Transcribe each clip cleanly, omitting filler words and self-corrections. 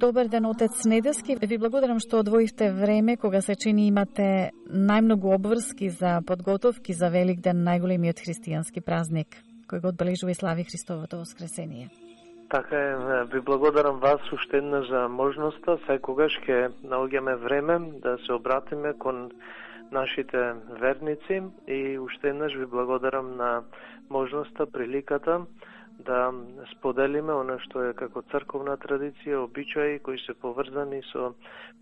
Добар ден, отец Недески. Ви благодарам што одвоивте време кога се чини имате најмногу обврски за подготовки за Великден, најголемиот христијански празник, кој го одбележува и слави Христовото воскресение. Така е, ви благодарам вас уште еднаш за можноста. Секогаш ќе наоѓаме време да се обратиме кон нашите верници и уште еднаш ви благодарам на можноста, приликата да споделиме она што е како црковна традиција, обичаи кои се поврзани со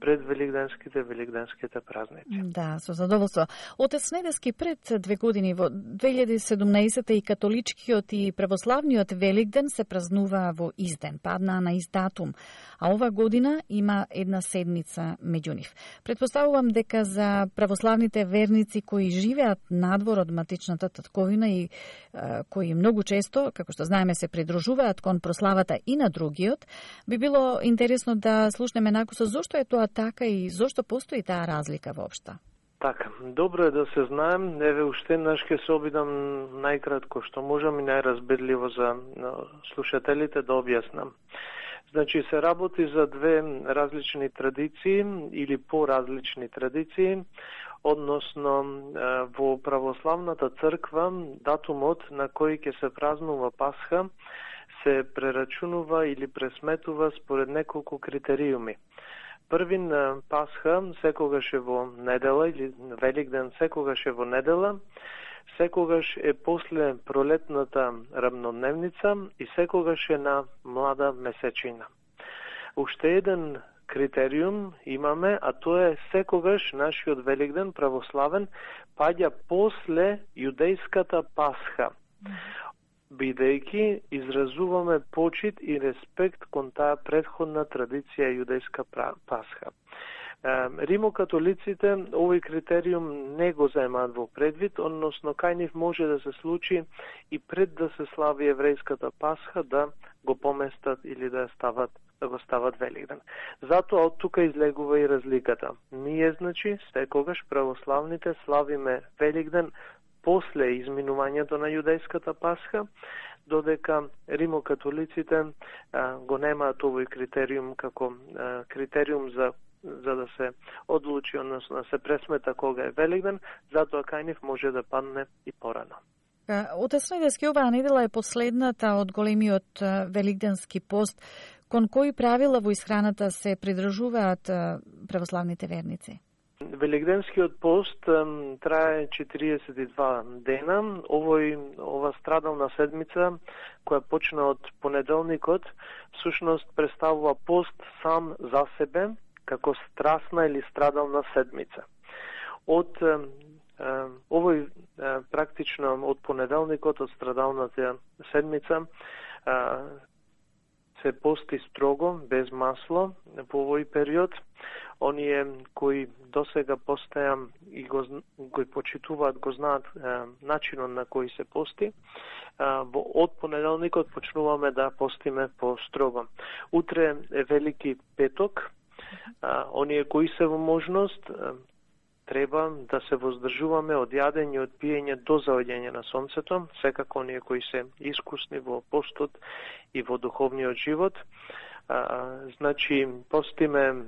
великденските празници. Да, со задоволство. Отец Недески, пред 2 години во 2017 и католичкиот и православниот Великден се празнуваа во изден, паднаа на ист датум, а ова година има една седмица меѓу нив. Предпоставувам дека за православните верници кои живеат надвор од матичната татковина и кои многу често, како што знаеме, се придружуваат кон прославата и на другиот, би било интересно да слушнеме накусо зошто е тоа така и зошто постои таа разлика воопшто. Така, добро е да се знаем. Еве уште еднаш ќе се обидам најкратко што можам и најразбирливо за слушателите да објаснам. Значи се работи за две различни традиции или поразлични традиции, односно во православната црква датумот на кој ќе се празнува Пасха се прерачунува или пресметува според неколку критериуми. Првин Пасха секогаш е во недела или Великден секогаш е во недела, секогаш е после пролетната рамнодневница и секогаш е на млада месечина. Уште еден критериум имаме, а тоа е секогаш нашиот Великден православен паѓа после јудејската Пасха, бидејќи изразуваме почит и респект кон таа претходна традиција јудејска Пасха. Римокатолиците овој критериум не го земаат во предвид, односно кај нив може да се случи и пред да се слави еврејската Пасха да го поместат или да го стават Великден. Затоа од тука излегува и разликата. Ние, значи, секогаш православните славиме Великден после изминувањето на јудејската Пасха, додека римокатолиците го немаат овој критериум како критериум за да се одлучи, односно да се пресмета кога е Великден, затоа кај нив може да падне и порано. Отец Недески, оваа недела е последната од големиот великденски пост. Кон кои правила во исхраната се придржуваат православните верници? Великденскиот пост трае 42 дена. Ова страдална седмица, која почна од понеделникот, всушност представува пост сам за себе, како страсна или страдална седмица. Од овој практично од понеделникот, од страдалната седмица, се пости строго, без масло по овој период. Оние кои досега постеа и кои почитуваат, го знаат начинот на кој се пости. Од понеделникот почнуваме да постиме по строго. Утре е Велики петок. Оние кои се во можност треба да се воздржуваме од јадење и од пиење до заоѓање на сонцето, секако оние кои се искусни во постот и во духовниот живот. Значи, постиме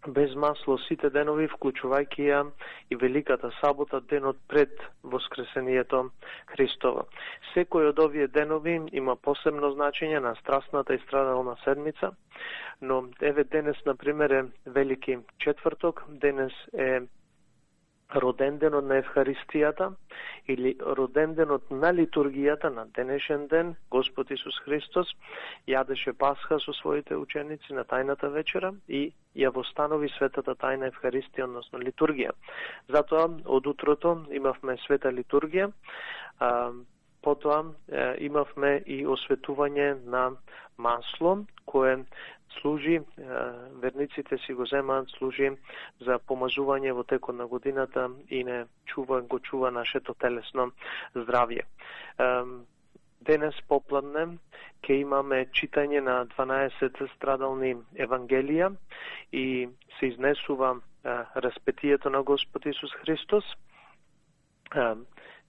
без масло сите денови, вклучувајќи ја и Великата сабота, денот пред Воскресението Христово. Секој од овие денови има посебно значење на страсната и страдална седмица, но еве денес, например, е Велики четврток, денес е роденденот на Евхаристијата или роденденот на литургијата на денешен ден. Господ Исус Христос јадеше Пасха со своите ученици на тајната вечера и ја востанови светата тајна Евхаристија, односно литургија. Затоа од утрото имавме света литургија, потоа имавме и осветување на масло, кое служи, верниците си го земаат, служи за помазување во текот на годината и го чува нашето телесно здравје. Денес попладне ќе имаме читање на 12 страдални евангелија и се изнесува распетието на Господ Исус Христос.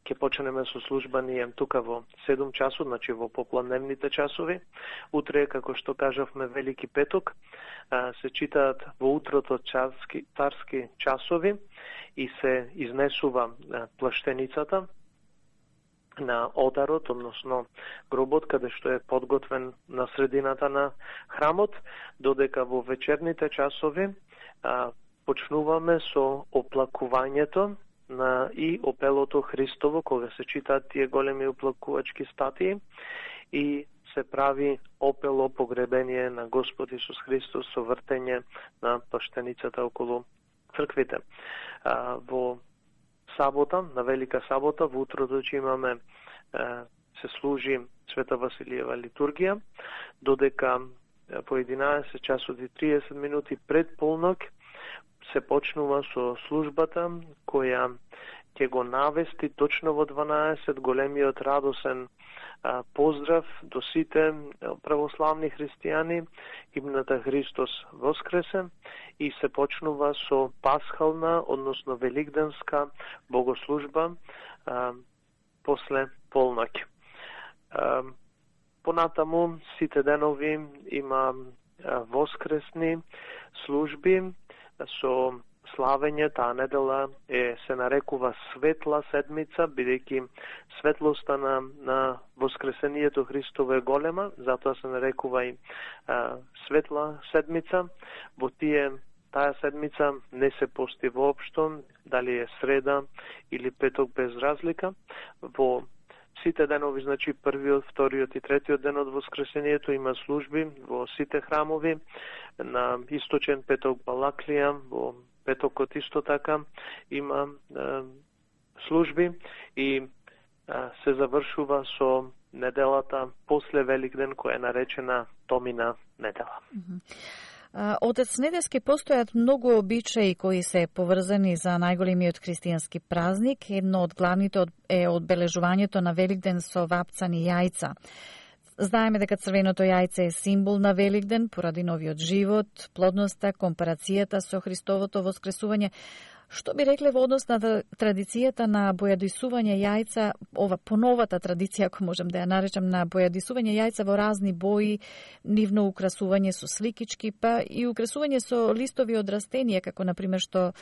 ќе почнеме со служба ние тука во 7 часот, значи во попладневните часови. Утре, како што кажавме, Велики петок, се читаат во утрото царски часови и се изнесува плаштеницата на олтарот, односно гробот, каде што е подготвен на средината на храмот, додека во вечерните часови почнуваме со оплакувањето и опелото Христово, кога се читаат тие големи оплакувачки статии и се прави опело погребение на Господ Исус Христос со вртење на плаштеницата околу црквите. Во сабота, на Велика сабота, во утрото ќе имаме се служи Света Василиева литургија, додека по 11 часот и 30 минути пред полнок се почнува со службата која ќе го навести точно во 12 големиот радосен поздрав до сите православни христијани, химната Христос воскресе, и се почнува со пасхална, односно великденска богослужба после полноќ. Понатаму сите денови има воскресни служби со славење. Таа недела се нарекува Светла седмица, бидејќи светлоста на воскресението Христово е голема, затоа се нарекува и Светла седмица. Во таа седмица не се пости воопшто, дали е среда или петок, без разлика. Во сите денови, значи првиот, вториот и третиот ден од воскресението, има служби во сите храмови. На источен петок Балаклија, во петокот исто така има служби и се завршува со неделата после Великден, која е наречена Томина недела. Отец Недески, постојат многу обичаи кои се поврзани за најголемиот христијански празник. Едно од главните е одбележувањето на Великден со вапцани јајца. Знаеме дека црвеното јајце е символ на Великден поради новиот живот, плодноста, компарацијата со Христовото воскресување. Што би рекле во однос на традицијата на бојадисување јајца, ова поновата традиција, ако можем да ја наречам, на бојадисување јајца во разни бои, нивно украсување со сликички, па и украсување со листови од растенија, како например што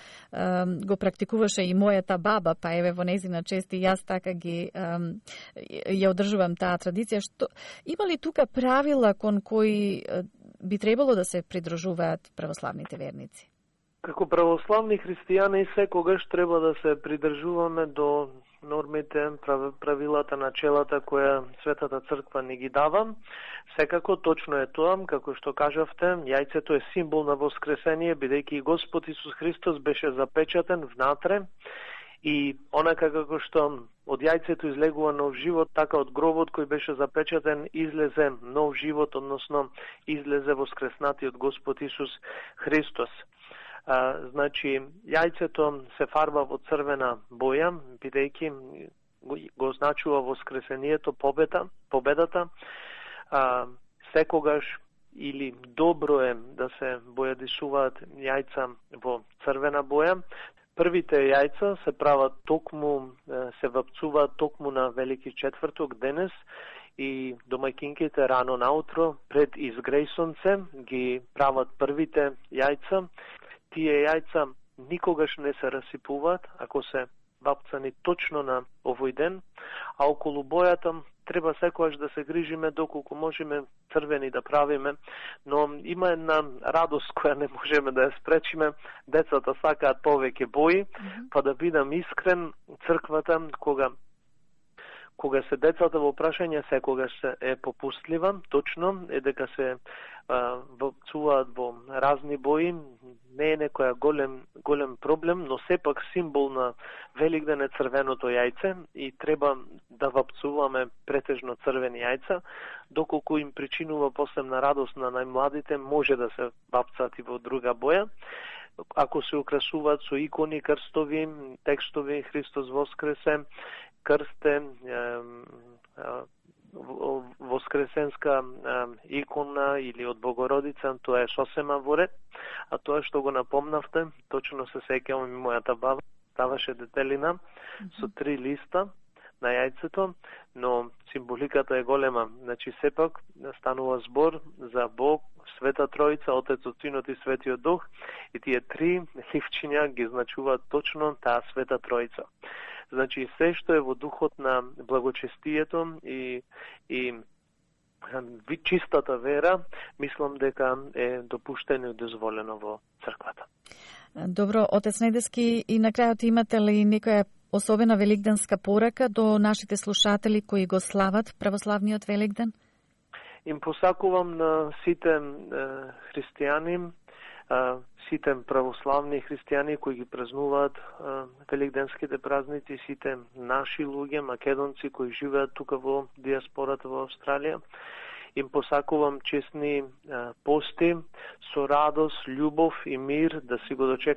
го практикуваше и мојата баба, па еве во нејзина чест и јас така ја одржувам таа традиција. Има ли тука правила кон кои би требало да се придружуваат православните верници? Како православни христијани секогаш треба да се придржуваме до нормите, правилата, начелата која Светата Црква ни ги дава. Секако точно е тоа, како што кажавте, јајцето е символ на воскресение, бидејќи Господ Исус Христос беше запечатен внатре и онака како што од јајцето излегува нов живот, така од гробот кој беше запечатен излезе нов живот, односно излезе воскреснатиот Господ Исус Христос. Значи, јајцето се фарба во црвена боја, бидејќи го означува воскресението, победата. Секогаш или добро е да се бојадисуваат јајца во црвена боја. Првите јајца се прават токму, се вапцуваат токму на Велики четврток денес и домаќинките рано наутро пред изгреј сонце ги прават првите јајца. Тие јајца никогаш не се расипуваат ако се вапцани точно на овој ден, а околу бојата треба секогаш да се грижиме доколку можеме црвени да правиме, но има една радост која не можеме да ја спречиме. Децата сакаат повеќе бои, па да бидам искрен, црквата кога се децата во прашање секогаш е попустлива, точно е дека се вапцуваат во разни бои, не е некоја голем проблем, но сепак символ на Великден е црвеното јајце и треба да вапцуваме претежно црвени јајца, доколку им причинува посебна радост на најмладите, може да се вапцаат и во друга боја. Ако се украсуваат со икони, крстови, текстови, Христос воскресе, крсте, воскресенска икона или од Богородица, тоа е сосема во ред. А тоа што го напомнавте, точно се сеќавам и мојата баба ставаше детелина со 3 листа на јајцето, но символиката е голема. Значи, сепак станува збор за Бог, Света Тројца, Отецот, Синот и Светиот Дух, и тие три ливчиња ги значуваат точно таа Света Тројца. Значи, се што е во духот на благочестието и чистата вера, мислам дека е допуштено и дозволено во црквата. Добро, отец Недески, и на крајот имате ли некоја особена великденска порака до нашите слушатели кои го слават православниот Великден? Им посакувам на сите христијани, сите православни христијани кои ги празнуваат великденските празници, сите наши луѓе, македонци кои живеат тука во диаспората во Австралија. Им посакувам честни пости, со радост, љубов и мир, да си го дочекаат